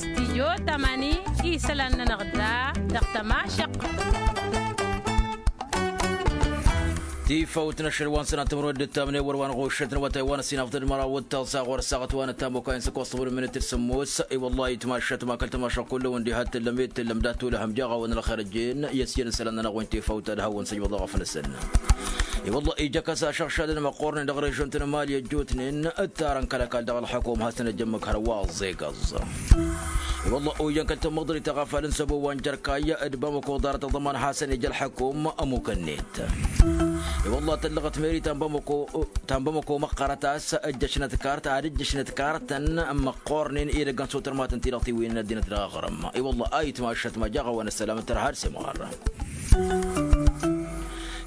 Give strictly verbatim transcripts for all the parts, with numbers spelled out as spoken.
Stijyo tamani isălan-nănăɣ da dăɣ-tămašăq. Tifawt n-ašăl wa n-sănat timărwen d-ǝttamnen wăr wa n-ɣušăt n-awătay wa n-ăssinafḍăd măraw d-taẓa ɣur-ăssaɣăt wa n-ăttam okayăn s-ăkoẓ timărwen minit d-sămmos. I-wălla-hi itmašat ma kăl-tămašăq kull-wen diha t-tǝllăm i-t-tǝllăm d-ad-tulăhăm jaɣ-awăn ălxer ăjjeen i-ăsjăl n-isălan-nănăɣ wi n-tifawt ad-hawăn-săjmăḍ dăɣ-afnăsăn. I-wălla-hi ija kăs-ašăɣšadăn măqqornen dăɣ-režion-tăn n-imali ăjjootnen ǝttarăn kăl-ăkall dăɣ-ălḥăkum hasăn-ăjămmăk hărwa ăẓẓegăẓ. I-wălla-hi ojăn kăl-tămmăḍrit a ɣafal n-săbo wa n-jărkay d-bamăko ḍarăt aḍăman hasăn-ija ălḥăkum ămukăn-net. I-wălla-hi tăllăɣăt meri ta n-bamăko ta n-bamăko măqqărăt a-s ǝjjăšnăt kart ad-ǝjjăšnăt kartăn măqqornen i-idăggăn s-otărmatăn-ti-dăɣ tiwǝynen ăddinăt dăɣ-aɣrǝm. I-wălla-hi a itmašat ma jaɣ-awăn ăssălam n-tărha d-semɣarra.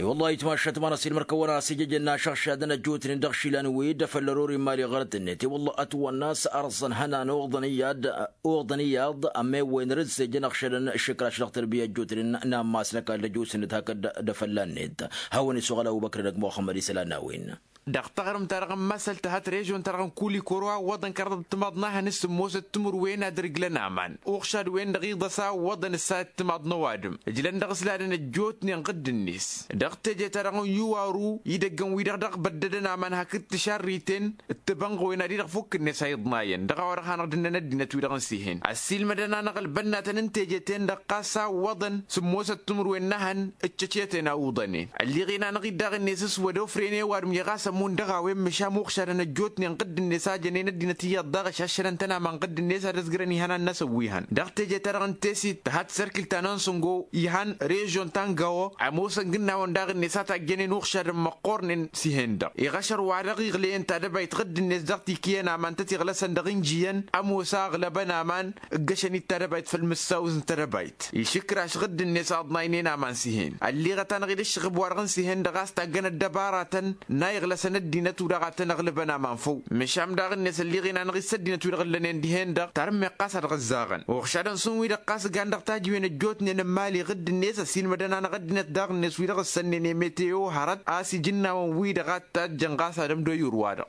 I-wălla-hi a itmašat ma n-ăsilmăr-kăwăn-asǝjjăjăn n-ašăɣšadăn ăjjootnen dăɣ-išilan wi d-afăl ărori n-imali ɣărăt-net i-wălla-hi ătwănna a-s ărẓăn ihănan uḍăn iyyăḍ uḍăn iyyăḍ ămewwen rǝzzejăn ăɣšădăn išǝkraš dăɣ-tărbiya ăjjootnen n-ammas n-ăkall ăjjoosnet hakd d-afălla-net. Hawăn-isuɣǝl ăbubăkr d-ăgg muxămmăd isălan n-a-wen. Dăɣ-taɣrǝmt-ta-dăɣ n-masăl tǝhăt režion-ta-dăɣ n-kulikoro a ǝwwăḍăn kăraḍăt timaḍ n-ahăn s-sǝmmosăt timǝrwen ad-ǝrǝjlăn aman uɣšad-wen-dăɣ iḍăs a ǝwwăḍăn ǝssayăt timaḍ n-ăwadǝm ǝjlăn dăɣ-s ladăn ăjjootnen ɣǝdd-net. Dăɣ-teje-ta-dăɣ n-iwaru idăggăn-wi-dăɣ dăɣ-băddădăn aman hakd tišarriten d-tibănɣăwen ad-i-dăɣ fukk-net a iḍnayăn dăɣ-a-wa-dăɣ hanăɣ-dănnăn ăddinăt-wi-dăɣ n-sihen ăssiilmădăn-anăɣ ălbănnatăn n-teje-ten-dăɣ ɣas a ǝwwăḍăn sǝmmosăt timǝrwen n-ehăn. Ǝccăcetăn a uḍănen ălliɣen-anăɣ-dd daɣ-net s-wăr-ofren i-ăwadǝm i-ɣas ămmun dăɣ-a-wen măšan muɣšadăn ăjjootnen ɣǝdd-net a jănen ăddinăt iyyăḍ daɣ ăšaššălăn-tăn aman ɣǝdd-net ad-ăzgărăn ihănan-năsăn wi hăn dăɣ-teje-ta-dăɣ n-tesit tǝhăt sărkǝl ta n-onsǝngo ihăn režion ta n-gawo ămoosăn gǝnnawăn daɣ-net a tajjănen uɣšadăn măqqornen s-ihen-dăɣ iɣăšăr wa dăɣ-iɣlăyăn tadăbayt ɣǝdd-net dăɣ-tikǝyăn aman tăt-iɣlăsăn dăɣ-injiyăn ămoos a ăɣlăbăn aman ǝggăšăn-dd tadăbayt făll-mǝssaw n-tadăbayt išǝkraš ɣǝdd-net aḍnaynen aman s-ihen ălliɣăt-anăɣ-dd ǝššăɣǝb-wa-dăɣ n-sihen-dăɣ a-s taggăn ăddăbaratăn n-a iɣlăsăn ăddinăt-wi-dăɣ a tăn-ăɣlăbăn aman făw. Măšan daɣ-net ălliɣen-anăɣ-dd s-ăddinăt-wi-dăɣ ǝllănen dihen-dăɣ tarǝmmeɣt ɣas ad-ɣǝzzaɣăn uɣšadăn s-un-wi-dăɣ ɣas gan dăɣ-tajǝwen ăjjootnen n-imali ɣǝdd-net ăsiilmădăn-anăɣ ăddinăt daɣ-net wi-dăɣ ǝssănnen i-meteo hărăt a-s ijǝnnawăn-wi-dăɣ a t-tajjăn ɣas ad-ămdoy urwa-dăɣ.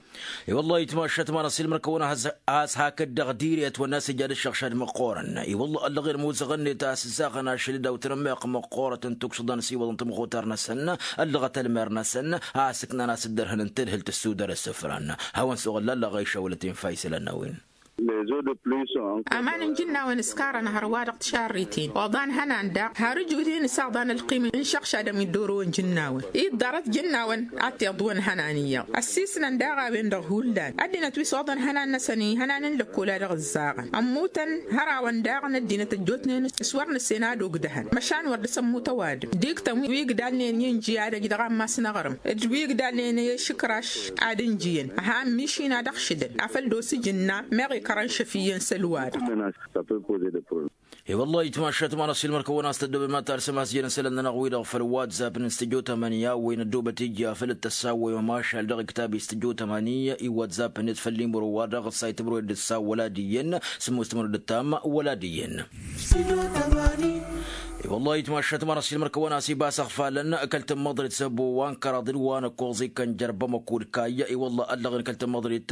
I-wăllah itmašat ma n-ăsilmăr-kăwăn-as has-hakd dăɣ-diri ătwănna a-s ija d-ǝššăɣšad măqqoorăn. I-wăllah ăllăɣen muzăɣăn-net a-s ǝzzaɣăn ašăl d-awtărămmeɣ măqqoorăt n-tuksǝḍăn s-iwăḍăn tămɣutar-năsăn ăllăɣăt ălmer-năsăn a ăsǝknan a-s dd-ărhăn n-tǝlhǝlt ăssudăr ăssǝfran. Hawăn-suɣǝl lallăɣ a išawălăt infa isălan n-a-wen. Aman n-ijǝnnawăn ǝskarăn hărwa dăɣ-tišarriten oḍan ihănan daɣ har ǝjudin s-aḍan ălqim n-išăɣšadăn wi dd-orăwăn ijǝnnawăn i-dd-ḍarăt ijǝnnawăn ad-t-iḍwăn ihănan iyyăḍ ăssiisnăn daɣ a-wen-dăɣ hullan ăddinăt wi s-oḍăn ihănan-năsăn ihănan n-lăkkol a dăɣ-ǝzzaɣăn ămmutăn hărawăn daɣ n-ăddinăt ăjjootnen s-wăr nǝssen ad-ogdăhăn măšan wăr dăr-s ămmut ăwadǝm d-iktăn wi ǝgdalnen i-inji ad-ăj dăɣ-ammas n-aɣrǝm d-wi ǝgdalnen i-išǝkraš ad-ǝnjǝyăn. Ăha ămmišin ad-ăɣšǝdăn afăl d-osǝj ǝnna meɣ ikărăn šăf iyyăn s-ălwad. I-wăllah itmašat ma n-ăsilmăr-kăwăn-as tăddobem ad-talsăm a-s jăn isălan-nănăɣ-wi-dăɣ făll-whatsapp-net s-tǝjo tămani a-wen ăddoobăt ija făll-dd-tăssawăyăm ašal dăɣ-iktab-i s-tǝjo tămani i-whatsapp-net făll-imro-wa-dăɣ ǝssay timǝrwen d-ǝssa wăla-diyyăn. Sǝmmos timǝrwen d-ǝttam wăla-diyyăn. I-wăllah itmašat ma n-ăsilmăr-kăwăn-as ibas ăɣfalăn kăl-tǝmmăḍrit s-ăbo wa n-kăraḍ d-wa n-ăkkoẓ ikkăn jer-bamăko d-kayy. I-wăllah ăllăɣen kăl-tǝmmăḍrit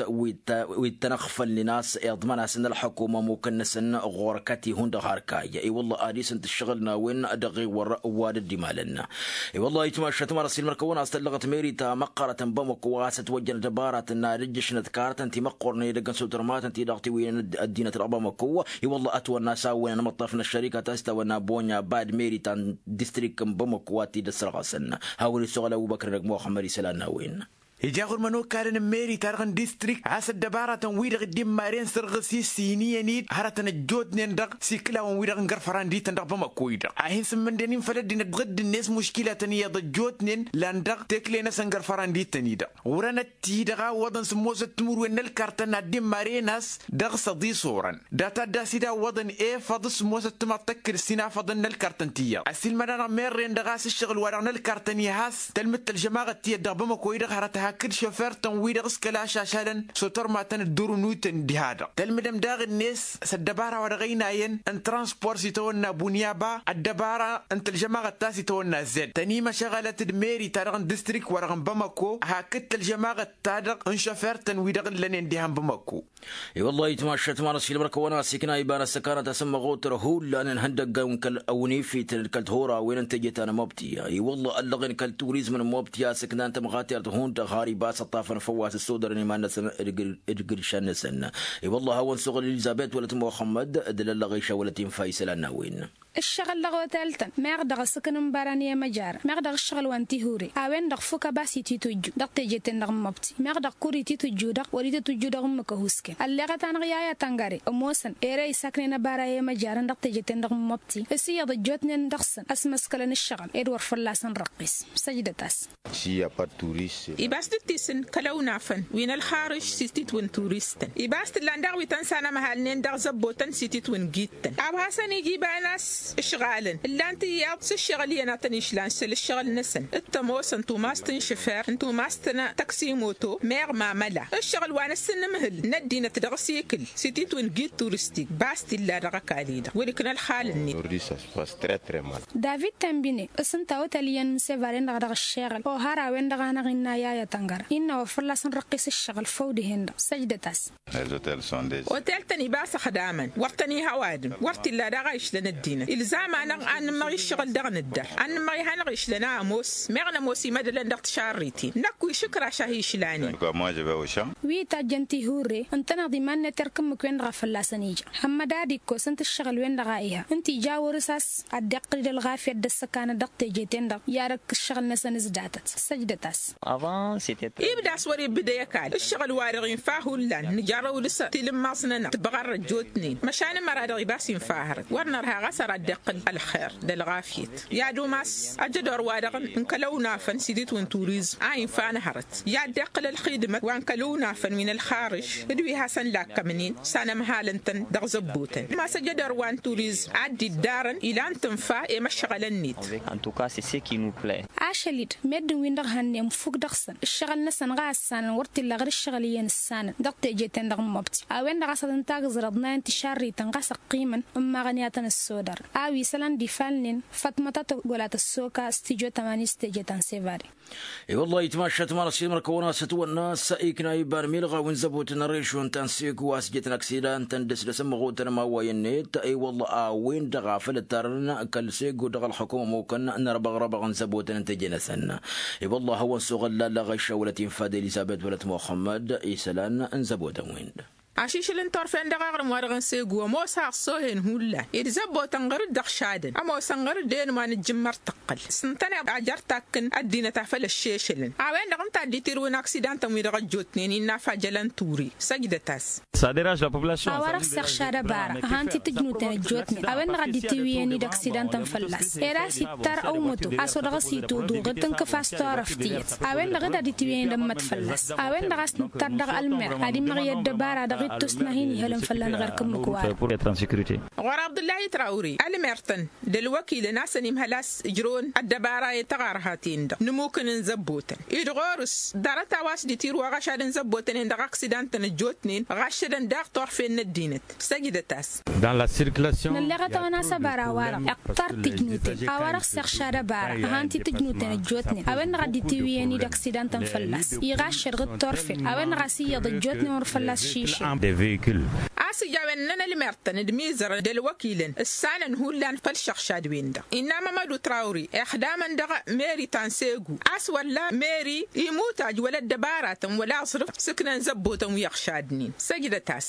wi t-ănăɣfălnen a-s iḍman-asăn ălḥăkum ămukăn-năsăn ɣur-kăt-i hundăɣ har kayy. I-wăllah ad-isǝnt ǝššăɣǝl n-a-wen dăɣ-iwăr wa dd-imalăn. I-wăllah itmašat ma n-ăsilmăr-kăwăn-as tăllăɣăt meri ta măqqărăt n-bamăko a-s ătwăjjăn ăddăbaratăn n-ad-ǝjjǝšnăt kartăn ti măqqornen edăgg n-sutărmatăn ti-dăɣ tiwǝynen ăddinăt dăɣ-bamăko. I-wălla ătwănna a-s a-wen ănmăṭṭaf n-ăššărika ta s-tawănna bonya bad meri ta n-distrik n-bamăko a t-dd-ăssărɣăsăn. Hawăn-isuɣǝl ăbubăkr d-ăgg muxămmăd isălan n-a-wen. Ija ɣur-mănokalăn n-meri-ta-dăɣ n-distrik a-s ăddăbaratăn-wi-dăɣ dd-immaren sărɣǝs-i s-iniyăn-dd hărătăn ăjjootnen dăɣ-siklawăn-wi-dăɣ n-gărfăran d-ităn dăɣ-bamăko-i-dăɣ a hin-sǝmmǝnden-in făll-ăddinăt ɣǝdd-net muškilatăn iyyăḍ ăjjootnen lan dăɣ-tekle-năsăn gărfăran d-ităn-i-dăɣ. Ɣur-enăt-i-dăɣ a ǝwwăḍăn sǝmmosăt timǝrwen n-ălkartăn ad-dd-immaren a-s dăɣ-săḍis orăn data dd-asidawăḍăn efăḍ s-sǝmmosăt timaḍ tăkkǝd s-inafăḍăn n-ălkartăn tiyyăḍ ăsiilmăd-anăɣ merren-dăɣ a-s ǝššăɣǝl-wa-dăɣ n-ălkartăn iha a-s tălmǝd-t ălžămaɣăt tiyyăt dăɣ-bamăko-i-dăɣ hărăt. hakd šofer-tăn-wi-dăɣ s-kăla ašašalăn s-otărmatăn ǝddurǝnutăn diha-dăɣ tălmǝdăm daɣ-net s-ăddăbara wa dăɣ-ăynayăn n-transpor s-itawănna bunyaba ăddăbara n-tălžămaɣăt ta s-itawănna zed tănimăšăɣălăt d-meri-ta-dăɣ n-distrik wa dăɣ-n bamăko hakd tălžămaɣăt-ta-dăɣ n-šofer-tăn wi-dăɣ ǝllănen diha n-bamăko. I-wăllah itmašat ma n-asilmăr kăwăn-asikna iba n-ăssăkanăt asǝmmăɣotăr hullan n-ihăndăggan kăl-ăwnifităn d-kăl-tihorawen n-teje ta n-mobti. I-wăllah ăllăɣen kăl-turizm n-mobti a-s ǝknan tamɣatert hundăɣ har iba a-s ăṭṭafăn făw a-s ăssodărăn iman-năsăn d-gǝršan-năsăn. I-wăllah a hawăn-suɣǝl elizabet wălăt muxămmăd d-lăllăɣiša wălăt infa isălan n-a-wen. Ǝššăɣǝl dăɣ-otel-tăn meɣ dăɣ-asǝkǝn n-bara n-i-emăjarăn meɣ dăɣ-ǝššăɣǝl wa n-tihuri a-wen-dăɣ fukăba s-ititujju dăɣ-teje-ten-dăɣ n-imobti meɣ dăɣ-kur ititujju-dăɣ wăr-ititujju dăɣ-ǝmmǝk ăhuusken ălleɣăt-anăɣ i-aya tăngare ămoosăn ere isaknen ăbara i-emăjarăn dăɣ-teje-ten-dăɣ n-imobti s-iyyăḍ ăjjootnen dăɣ-săn ăsmăskălăn ǝššăɣǝl ed wăr fălla-săn răqqis. Săjdăt-as. Ibas d-ǝttisǝn kăl-ăwnafăn wi n-ălxarǝš s-ititwǝn turistăn ibas t-ǝllan daɣ wi tăn-sanămhalnen dăɣ-zăbbotăn s-ititwǝn gittăn a-wa hasăn-ija iba n-a-s ǝšɣalăn ǝllan tiyyăḍ s-ǝššăɣǝl iyyăn a tăn-išlan s-ălǝššăɣǝl-năsăn d-tămoosăn tumast n-išǝfer n-tumast n-tăksimoto meɣ mamăla ǝššăɣǝl wa n-asǝnnǝmhǝl n-ăddinăt dăɣ-asikǝl s-ititwǝn git turistik bas t-illa dăɣ-ăkall-i-dăɣ wăr-ikna ălxal-net. David tămbine s-ǝnta otel iyyăn n-sevaren-dăɣ dăɣ-ǝššeɣǝl ohar a-wen-dăɣ a năɣ-innă i-aya tăngăra innă wăr fălla-s n-răqqis ǝššăɣǝl făw dihen-dăɣ. Săjdăt-as. Otel-tăn ibas ăxdamăn wăr tăn-iha ăwadǝm wăr t-illa daɣ a išlăn ăddinăt ilzam-anăɣ ad-nǝmmăɣ iššăɣǝl dăɣ-nǝddăr ad-nǝmmăɣ iha-năɣ išlăn a ămoos meɣ nămoos imădălăn dăɣ-tišarriten năkk wi šǝkraš a hi-išlanen. Wi itajjăn tihure ǝntăneḍ iman-net erk ǝmmǝk-wen dăɣ-a fălla-săn ija hămmăd ad-ikkos ǝnta ǝššăɣǝl-wen-dăɣ a iha ǝnta ija wăr-s a-s ad-dd-iqqǝl d-ălɣafyăt d-ăssăkanăt dăɣ-teje-ten-dăɣ i-ad-ăkk ǝššăɣǝl-năsăn s-datăt. Săjdăt-as. Ibda a-s wăr-ibbǝdăy ăkall ǝššăɣǝl-wa-dăɣ infa hullan nǝjarrăw dăɣ-s tilǝmmaẓ-nănăɣ tibɣarrăt jotnen măšan ǝmăra-dăɣ ibas infa hărăt wăr nărha ɣas ar ad-dd-iqqǝl ălxer d-ălɣafyăt i-ad-umas ajădor-wa-dăɣ n-kăl-ăwnafăn s-iditwǝn turizm a infa n-hărăt i-ad-dd-iqqǝl ălxidmăt wa n-kăl-ăwnafăn wi n-ălxarǝš d-wi hasăn-lakkămnen s-anămhal ǝntăn dăɣ-zăbbotăn ma s-ajădor wa n-turizm ad-dd-iddarăn ilan tǝnfa i-imăšɣălăn-net. Ašăl-dd meddǝn-win-dăɣ hănnen fuk dăɣ-săn ǝššăɣǝl-năsăn ɣas ǝssanăn wăr t-illa ɣǝr ǝššăɣǝl iyyăn ǝssanăn dăɣ-teje-ten-dăɣ n-imobti a-wen-dăɣ a-s ad-ǝnta agǝẓrăḍ n-ayăn tišarriten ɣas ăqqimăn ǝmmaɣăn i-ad-tăn-ăssodărăn a-wa isălan d-ifalnen. Făṭmăt a tăggola tăssoka s-tijo tămani s-teje ta n-sevare. I-wăllah itmašat ma n-ăsilmăr kăwăn-asătwănna s-ikna iba n-milɣaw n-zăbotăn n-režon ta n-segu a-s jătăn aksidan-tăn d-ăsdăsăn măɣotăn ma wa i-net. I-wăllah a-wen-dăɣ a făl ǝttarăn kăl-segu dăɣ-ălxukuma ămukăn n-ărbăɣrăbăɣ n-zăbotăn n-teje-năsăn. I-wăllah a hawăn-suɣǝl lalla ɣăyša wălăt infa d-elizabet wălăt muxămmăd isălan n-zăbotăn-win-dăɣ. Ašišǝl n-turfen dăɣ-aɣrǝm-wa-dăɣ n-segu ămoos a ăṣṣohen hullan ed zăbbotăn ɣăr-dd ăɣšadăn ămoosăn ɣăr-dd enwa n-ǝjjǝmmăr tǝqqǝl s-ǝntăneḍ a jer-takkǝn ăddinăt a făl ăššešălăn. A-wen-dăɣ ǝnta a dd-itirǝwăn aksidan-tăn-wi-dăɣ ăjjootnen innă a fajălăn turi. Săjdăt-as. A-wa-dăɣ s-iɣšad ăbara ăhan ti tǝjnuten ăjjootnen a-wen-dăɣ a dd-itiwǝyăn-dd aksidan-tăn fălla-s ed a-s ittar ăwmăto a-s odăɣ-s ituḍuɣ d-tǝnkǝfas turăft tiyyăt. A-wen-dăɣ dd-ad-itiwǝyăn d-ămmăt fălla-s a-wen-dăɣ a-s nǝttar dăɣ-ălmer ad-immăɣ i-ăddăbara dăɣ-ittus n-ad-hin-ihălăn fălla-năɣ erk ǝmmǝk-wa-dăɣ. Ɣur-abdullah itrawri ălmer-tăn d-ălwăkilăn a-s ănimhăl a-s ǝjrăwăn ăddăbara i-taɣărhaten-dăɣ n-ămmukăn n-zăbbotăn-i-dăɣ ɣur-s ḍarăt a-wa s-dd-itirǝw aɣăšad n-zăbbotăn-en dăɣ-aksidan-tăn ăjjootnen ɣaššădăn daɣ turfen n-ăddinăt. Săjdăt-as. Nălleɣăt a-wa n-asăbara-wa-dăɣ iqqăr tǝjnuten a-wa-dăɣ s-iɣšad ăbara ăhan ti tǝjnuten ăjjootnen a-wen-dăɣ a dd-itiwǝyăn-dd aksidan-tăn fălla-s iɣaššăd ɣǝd turfen a-wen-dăɣ a-s iyyăḍ ăjjootnen wăr fălla-s šišen. A-s ija a-wen ǝnnăn ălmer-tăn d-imizărăn d-ălwăkilăn ǝssanăn hullan făll-išăɣšad-wen-dăɣ innă mămădu trawri ixdamăn dăɣ-meri ta n-segu a-s wălla meri imutaj wăla ăddăbaratăn wăla aẓrǝf s-ǝknăn zăbbotăn wi ăɣšadnen. Săjdăt-as.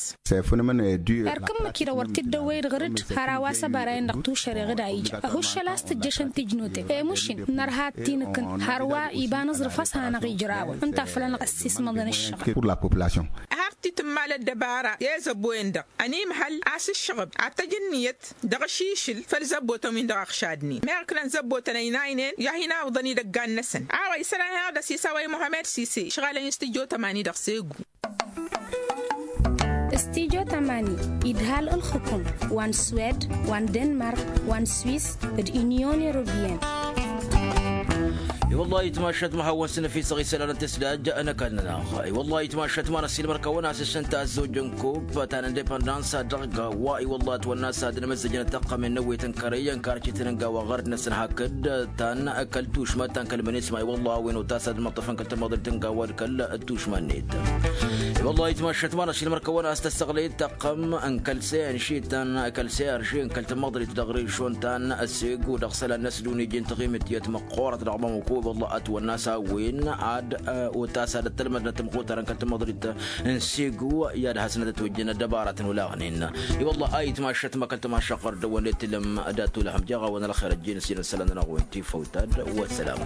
Erk ǝmmǝk-i-dăɣ wăr t-dd-ăwwăy-dd ɣǝr-dd har a-wa s-ăbara-en-dăɣ tušăreɣ d-a ija ăhuššăl a-s tǝjjăšăn tijnuten i-măšin nărha ad-t-inǝkkǝn hărwa iba n-aẓrǝf a-s hanăɣ-ijrawăn ǝnta a făl anăɣ-ăssismăḍăn ǝššăɣǝl. Har t-tǝmmal ăddăbara i-zăbbo-en-dăɣ ănimhăl a-s ǝššăɣǝb ad-t-ăj ǝnniyăt dăɣ-ašišǝl făll-zăbbotăn-win-dăɣ ăɣšadnen meɣ ǝknăn zăbbotăn ăynaynen i-ad-hin-awǝḍăn idăggan-năsăn. A-wa isălan hanăɣ-dd-ăsisawăy muhămed sise ǝšɣalăn i-s tǝjjo tămani dăɣ-segu. Stijo tămani idhal ǝlxǝkum wa n-swed wa n-denmark wa n-swis d-inyon europeyăn. I-wălla itmašăt ma hawăn-sǝnăfisăɣ isălan n-tǝsdaj n-ăkall-nănăɣ. I-wălla itmašăt ma n-ăssiilmăr-kăwăn a-s ǝššǝnta ăzzojăn kub ta n-indepăndans dăɣ-wa i-wălla ătwănna s-ad n-amǝzzăjăn ăttăqqămen n-ăwwet n-kărăy n-karcităn n-gawa ɣărd-năsăn hakd ta n-kăl-tušmăt ta n-kăl-mănesma i-wălla a-wen otas ad-măṭṭăfăn kăl-tămăḍrit n-gawa d-kăl-tušmănnet. I-wălla itmašăt ma n-ăssiilmăr-kăwăn a-s tăssăɣlăyăt taqqăm n-kăl-seyăn šităn kăl-seyăn šităn kăl-tămăḍrit dăɣ-rešon ta n-ăssegu dăɣ-isălan n-ăsdunij n-taɣimǝtiyăt măqqoorăt dăɣ-bamăko i-wălla ătwănna s-a-wen ad-otas ad-ăttălmădnăt tămɣutarăn kăl-tămăḍrit n-segu i-ad-hasnăt ătwăjjăn ăddăbaratăn olaɣnen. I-wălla a itmašăt ma kăl-tămašăɣ ɣur-dăwăn d-tilǝm dat-olăhăm jeɣ-awăn ălxer ăjjeen s-inăsălan-nănăɣ wen tifăwt-ad-wăssălam.